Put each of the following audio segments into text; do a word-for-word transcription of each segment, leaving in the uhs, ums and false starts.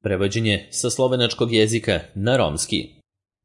Prevođenje sa slovenačkog jezika na romski.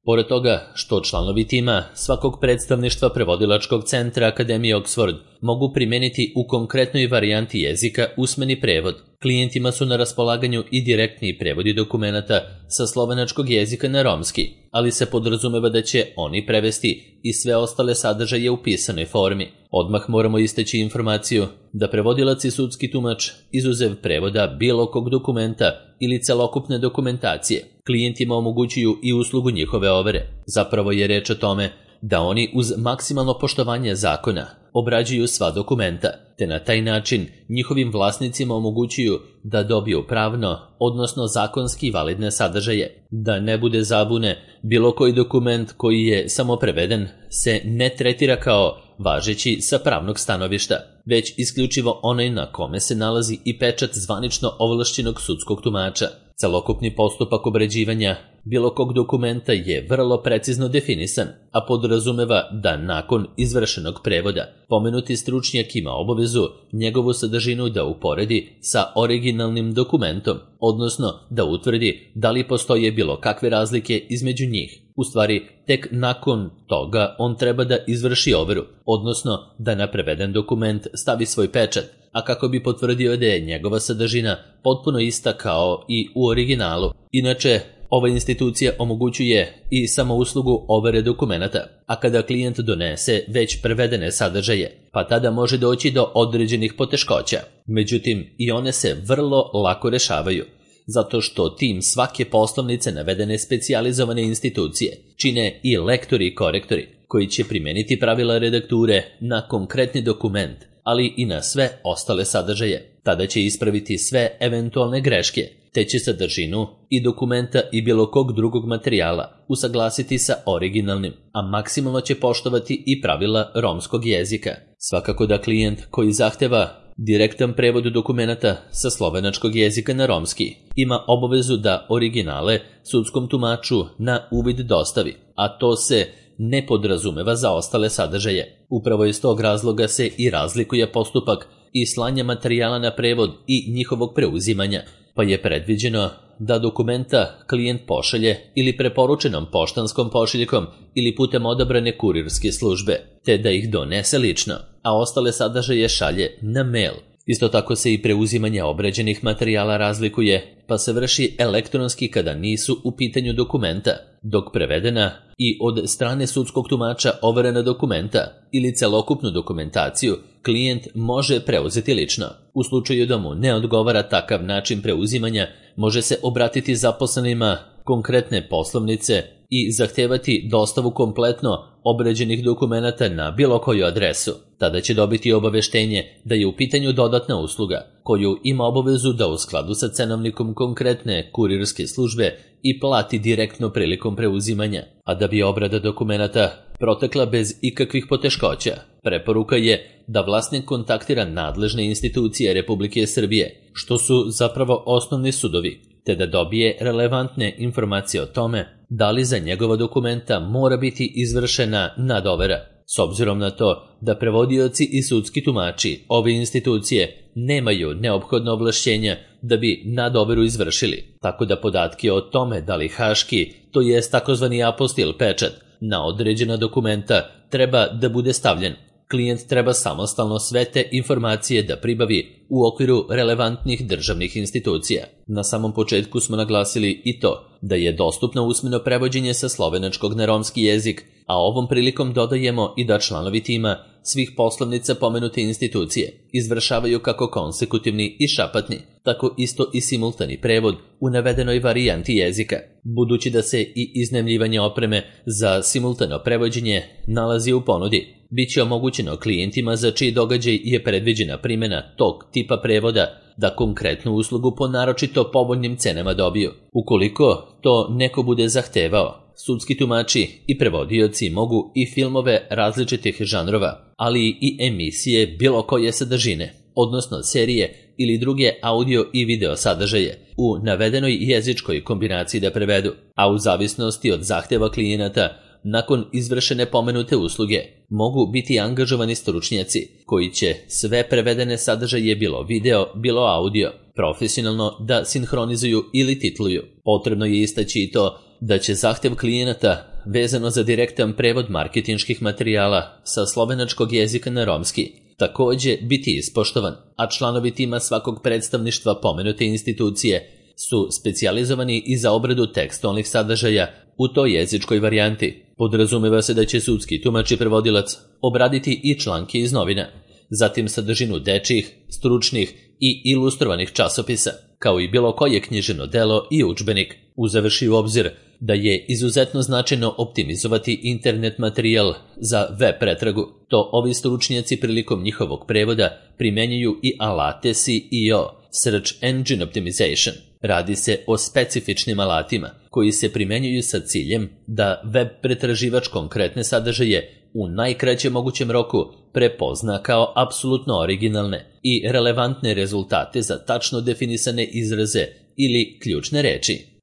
Pored toga što članovi tima svakog predstavništva prevodilačkog centra Akademije Oxford mogu primeniti u konkretnoj varijanti jezika usmeni prevod, klijentima su na raspolaganju i direktni prevodi dokumenata sa slovenačkog jezika na romski, ali se podrazumeva da će oni prevesti i sve ostale sadržaje u pisanoj formi. Odmah moramo istaći informaciju da prevodilac i sudski tumač, izuzev prevoda bilo kog dokumenta ili celokupne dokumentacije, klijentima omogućuju i uslugu njihove overe. Zapravo je reč o tome da oni uz maksimalno poštovanje zakona obrađuju sva dokumenta, te na taj način njihovim vlasnicima omogućuju da dobiju pravno, odnosno zakonski validne sadržaje. Da ne bude zabune, bilo koji dokument koji je samo preveden se ne tretira kao važeći sa pravnog stanovišta, već isključivo onaj na kome se nalazi i pečat zvanično ovlašćenog sudskog tumača. Celokupni postupak obrađivanja bilo kog dokumenta je vrlo precizno definisan, a podrazumeva da nakon izvršenog prevoda pomenuti stručnjak ima obavezu njegovu sadržinu da uporedi sa originalnim dokumentom, odnosno da utvrdi da li postoje bilo kakve razlike između njih. U stvari, tek nakon toga on treba da izvrši overu, odnosno da na preveden dokument stavi svoj pečat, a kako bi potvrdio da je njegova sadržina potpuno ista kao i u originalu. Inače, ova institucija omogućuje i samo uslugu overe dokumenata, a kada klijent donese već prevedene sadržaje, pa tada može doći do određenih poteškoća. Međutim, i one se vrlo lako rešavaju, zato što tim svake poslovnice navedene specijalizovane institucije čine i lektori i korektori, koji će primeniti pravila redakture na konkretni dokument, ali i na sve ostale sadržaje. Tada će ispraviti sve eventualne greške, te će sadržinu i dokumenta i bilo kog drugog materijala usaglasiti sa originalnim, a maksimalno će poštovati i pravila romskog jezika. Svakako da klijent koji zahteva direktan prevod dokumenata sa slovenačkog jezika na romski ima obavezu da originale sudskom tumaču na uvid dostavi, a to se ne podrazumeva za ostale sadržaje. Upravo iz tog razloga se i razlikuje postupak i slanja materijala na prevod i njihovog preuzimanja, pa je predviđeno da dokumenta klijent pošalje ili preporučenom poštanskom pošiljkom ili putem odabrane kurirske službe, te da ih donese lično, a ostale sadržaje šalje na mail. Isto tako se i preuzimanje obrađenih materijala razlikuje, pa se vrši elektronski kada nisu u pitanju dokumenta, dok prevedena i od strane sudskog tumača overena dokumenta ili celokupnu dokumentaciju klijent može preuzeti lično. U slučaju da mu ne odgovara takav način preuzimanja, može se obratiti zaposlenima konkretne poslovnice i zahtevati dostavu kompletno obrađenih dokumenata na bilo koju adresu. Tada će dobiti obaveštenje da je u pitanju dodatna usluga, koju ima obavezu da u skladu sa cenovnikom konkretne kurirske službe i plati direktno prilikom preuzimanja. A da bi obrada dokumenata protekla bez ikakvih poteškoća, preporuka je da vlasnik kontaktira nadležne institucije Republike Srbije, što su zapravo osnovni sudovi, te da dobije relevantne informacije o tome da li za njegova dokumenta mora biti izvršena nadovera. S obzirom na to da prevodioci i sudski tumači ove institucije nemaju neophodno ovlašćenja da bi nadoveru izvršili, tako da podatke o tome da li haški, to jest takozvani apostil pečat, na određena dokumenta treba da bude stavljen. Klijent treba samostalno sve te informacije da pribavi u okviru relevantnih državnih institucija. Na samom početku smo naglasili i to da je dostupno usmeno prevođenje sa slovenačkog na romski jezik, a ovom prilikom dodajemo i da članovi tima svih poslovnica pomenute institucije izvršavaju kako konsekutivni i šapatni, tako isto i simultani prevod u navedenoj varijanti jezika. Budući da se i iznajmljivanje opreme za simultano prevođenje nalazi u ponudi, biće omogućeno klijentima za čiji događaj je predviđena primjena tog tipa prevoda da konkretnu uslugu po naročito povoljnim cenama dobiju. Ukoliko to neko bude zahtevao, sudski tumači i prevodioci mogu i filmove različitih žanrova, ali i emisije bilo koje sadržine, odnosno serije ili druge audio i video sadržaje u navedenoj jezičkoj kombinaciji da prevedu, a u zavisnosti od zahteva klijenata nakon izvršene pomenute usluge, mogu biti angažovani stručnjaci koji će sve prevedene sadržaje, bilo video, bilo audio, profesionalno da sinhronizuju ili titluju. Potrebno je istaći i to da će zahtev klijenata vezano za direktan prevod marketinških materijala sa slovenačkog jezika na romski takođe biti ispoštovan, a članovi tima svakog predstavništva pomenute institucije su specijalizovani i za obradu tekstualnih sadržaja u toj jezičkoj varijanti. Podrazumeva se da će sudski tumač i prevodilac obraditi i članke iz novina, zatim sadržinu dečjih, stručnih i ilustrovanih časopisa, kao i bilo koje književno delo i udžbenik, uzevši u obzir da je izuzetno značajno optimizovati internet materijal za web pretragu. To ovi stručnjaci prilikom njihovog prevoda primenjuju i alate S E O, Search Engine Optimization. Radi se o specifičnim alatima koji se primenjuju sa ciljem da web pretraživač konkretne sadržaje u najkraćem mogućem roku prepozna kao apsolutno originalne i relevantne rezultate za tačno definisane izraze ili ključne reči.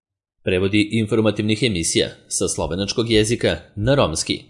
Prevodi informativnih emisija sa slovenačkog jezika na romski.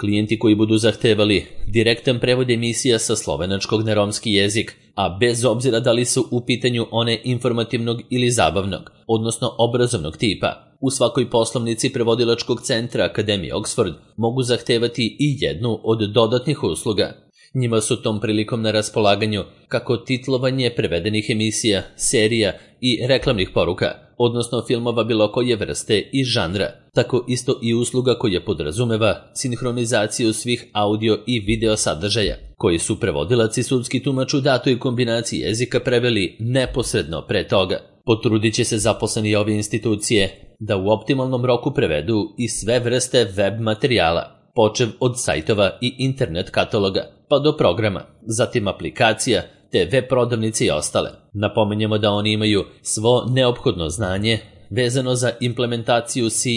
Klijenti koji budu zahtevali direktan prevod emisija sa slovenačkog na romski jezik, a bez obzira da li su u pitanju one informativnog ili zabavnog, odnosno obrazovnog tipa, u svakoj poslovnici prevodilačkog centra Akademije Oxford mogu zahtevati i jednu od dodatnih usluga. Njima su tom prilikom na raspolaganju kako titlovanje prevedenih emisija, serija i reklamnih poruka, odnosno filmova bilo koje vrste i žanra, tako isto i usluga koja podrazumeva sinhronizaciju svih audio i video sadržaja, koji su prevodilac i sudski tumač u datoj kombinaciji jezika preveli neposredno pre toga. Potrudit će se zaposleni ove institucije da u optimalnom roku prevedu i sve vrste web materijala, počev od sajtova i internet kataloga, pa do programa, zatim aplikacija, te web prodavnice i ostale. Napominjemo da oni imaju svo neophodno znanje vezano za implementaciju S E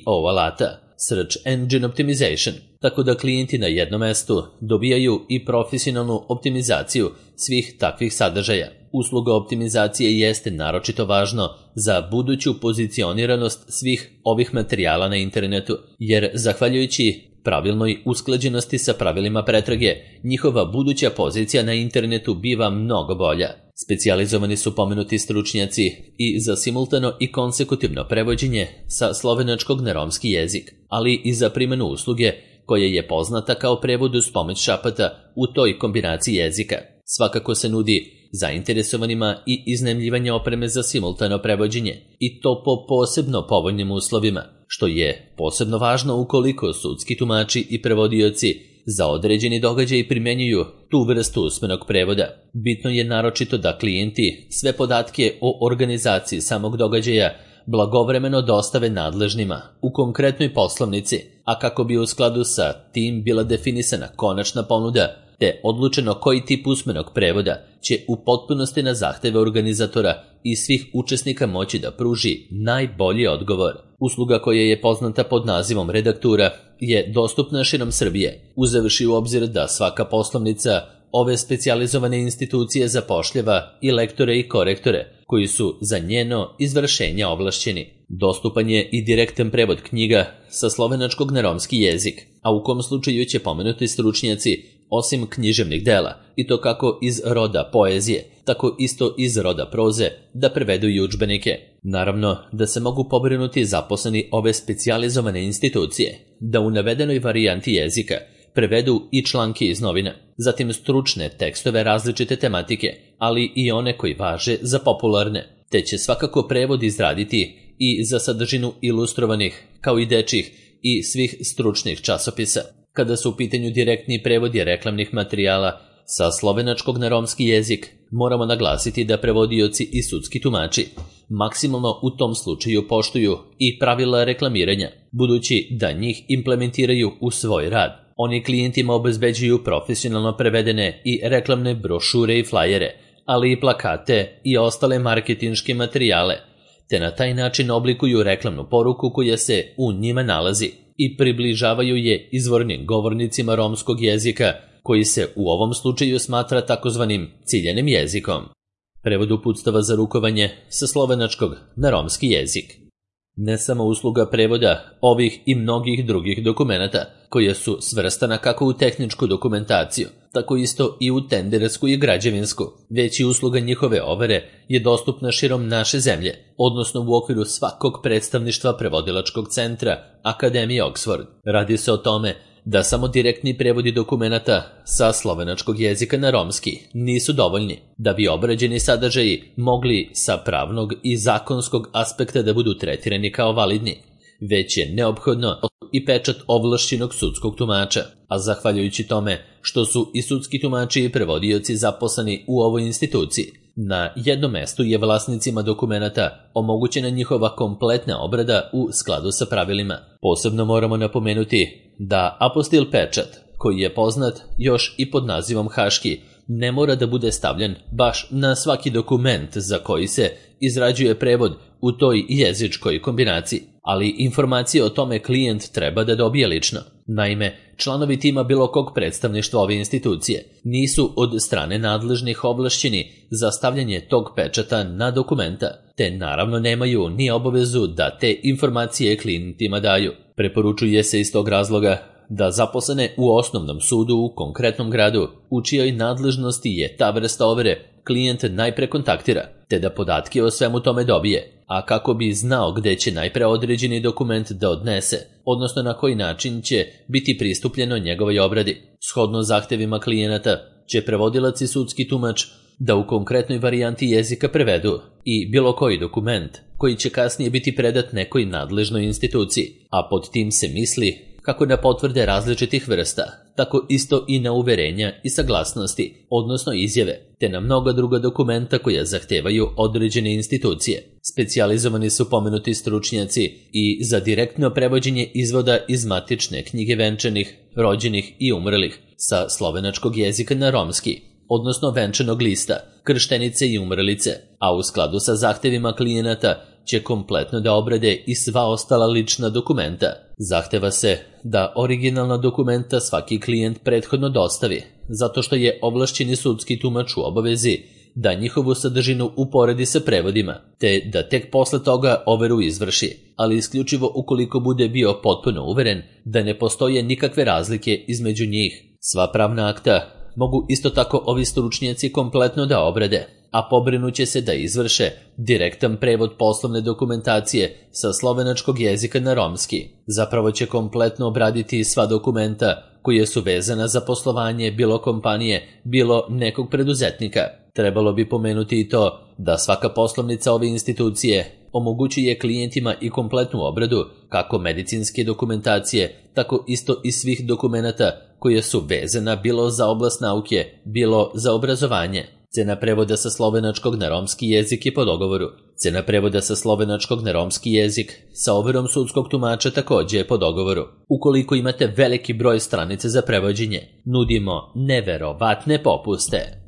O alata, Search Engine Optimization, tako da klijenti na jednom mestu dobijaju i profesionalnu optimizaciju svih takvih sadržaja. Usluga optimizacije jeste naročito važno za buduću pozicioniranost svih ovih materijala na internetu, jer zahvaljujući pravilnoj usklađenosti sa pravilima pretrage, njihova buduća pozicija na internetu biva mnogo bolja. Specijalizovani su pomenuti stručnjaci i za simultano i konsekutivno prevođenje sa slovenačkog na romski jezik, ali i za primjenu usluge koja je poznata kao prevod uz pomoć šapata u toj kombinaciji jezika. Svakako se nudi zainteresovanima i iznajmljivanje opreme za simultano prevođenje, i to po posebno povoljnim uslovima, što je posebno važno ukoliko sudski tumači i prevodioci za određeni događaj primenjuju tu vrstu usmenog prevoda. Bitno je naročito da klijenti sve podatke o organizaciji samog događaja blagovremeno dostave nadležnima u konkretnoj poslovnici, a kako bi u skladu sa tim bila definisana konačna ponuda, te odlučeno koji tip usmenog prevoda će u potpunosti na zahteve organizatora i svih učesnika moći da pruži najbolji odgovor. Usluga koja je poznata pod nazivom redaktura je dostupna širom Srbije, uzevši u obzir da svaka poslovnica ove specijalizovane institucije zapošljava i lektore i korektore koji su za njeno izvršenje ovlašćeni. Dostupan je i direktan prevod knjiga sa slovenačkog na romski jezik, a u kom slučaju će pomenuti stručnjaci osim književnih dela, i to kako iz roda poezije, tako isto iz roda proze, da prevedu i udžbenike. Naravno da se mogu pobrinuti zaposleni ove specijalizovane institucije, da u navedenoj varijanti jezika prevedu i članke iz novina, zatim stručne tekstove različite tematike, ali i one koji važe za popularne, te će svakako prevod izraditi i za sadržinu ilustrovanih, kao i dečjih i svih stručnih časopisa. Kada su u pitanju direktni prevodi reklamnih materijala sa slovenačkog na romski jezik, moramo naglasiti da prevodioci i sudski tumači maksimalno u tom slučaju poštuju i pravila reklamiranja, budući da njih implementiraju u svoj rad. Oni klijentima obezbeđuju profesionalno prevedene i reklamne brošure i flajere, ali i plakate i ostale marketinške materijale, te na taj način oblikuju reklamnu poruku koja se u njima nalazi i približavaju je izvornim govornicima romskog jezika, koji se u ovom slučaju smatra takozvanim ciljanim jezikom. Prevod uputstava za rukovanje sa slovenačkog na romski jezik. Ne samo usluga prevoda ovih i mnogih drugih dokumenata, koja su svrstana kako u tehničku dokumentaciju, tako isto i u tendersku i građevinsku, već i usluga njihove overe je dostupna širom naše zemlje, odnosno u okviru svakog predstavništva prevodilačkog centra Akademije Oxford. Radi se o tome da samo direktni prevodi dokumenata sa slovenačkog jezika na romski nisu dovoljni da bi obrađeni sadržaji mogli sa pravnog i zakonskog aspekta da budu tretirani kao validni, već je neophodno i pečat ovlašćenog sudskog tumača, a zahvaljujući tome što su i sudski tumači i prevodioci zaposleni u ovoj instituciji, na jednom mestu je vlasnicima dokumenata omogućena njihova kompletna obrada u skladu sa pravilima. Posebno moramo napomenuti da apostil pečat, koji je poznat još i pod nazivom haški, ne mora da bude stavljen baš na svaki dokument za koji se izrađuje prevod u toj jezičkoj kombinaciji, ali informacije o tome klijent treba da dobije lično. Naime, članovi tima bilo kog predstavništva ove institucije nisu od strane nadležnih ovlašćeni za stavljanje tog pečata na dokumenta, te naravno nemaju ni obavezu da te informacije klijentima daju. Preporučuje se iz tog razloga da zaposlene u osnovnom sudu u konkretnom gradu, u čijoj nadležnosti je ta vrsta overe, klijent najpre kontaktira, te da podatke o svemu tome dobije, a kako bi znao gde će najpre određeni dokument da odnese, odnosno na koji način će biti pristupljeno njegovoj obradi. Shodno zahtevima klijenata će prevodilac i sudski tumač da u konkretnoj varijanti jezika prevedu i bilo koji dokument koji će kasnije biti predat nekoj nadležnoj instituciji, a pod tim se misli kako na potvrde različitih vrsta, tako isto i na uverenja i saglasnosti, odnosno izjave, te na mnoga druga dokumenta koja zahtevaju određene institucije. Specijalizovani su pomenuti stručnjaci i za direktno prevođenje izvoda iz matične knjige venčanih, rođenih i umrlih sa slovenačkog jezika na romski, odnosno venčanog lista, krštenice i umrlice, a u skladu sa zahtevima klijenata će kompletno da obrade i sva ostala lična dokumenta. Zahteva se da originalna dokumenta svaki klijent prethodno dostavi, zato što je ovlašćeni sudski tumač u obavezi da njihovu sadržinu uporedi sa prevodima, te da tek posle toga overu izvrši, ali isključivo ukoliko bude bio potpuno uveren da ne postoje nikakve razlike između njih. Sva pravna akta mogu isto tako ovi stručnjaci kompletno da obrade, a pobrinuće se da izvrše direktan prevod poslovne dokumentacije sa slovenačkog jezika na romski. Zapravo će kompletno obraditi sva dokumenta koje su vezana za poslovanje bilo kompanije, bilo nekog preduzetnika. Trebalo bi pomenuti i to da svaka poslovnica ove institucije omogućuje klijentima i kompletnu obradu kako medicinske dokumentacije, tako isto i svih dokumenata koje su vezana bilo za oblast nauke, bilo za obrazovanje. Cena prevoda sa slovenačkog na romski jezik je po dogovoru. Cena prevoda sa slovenačkog na romski jezik sa overom sudskog tumača takođe je po dogovoru. Ukoliko imate veliki broj stranice za prevođenje, nudimo neverovatne popuste.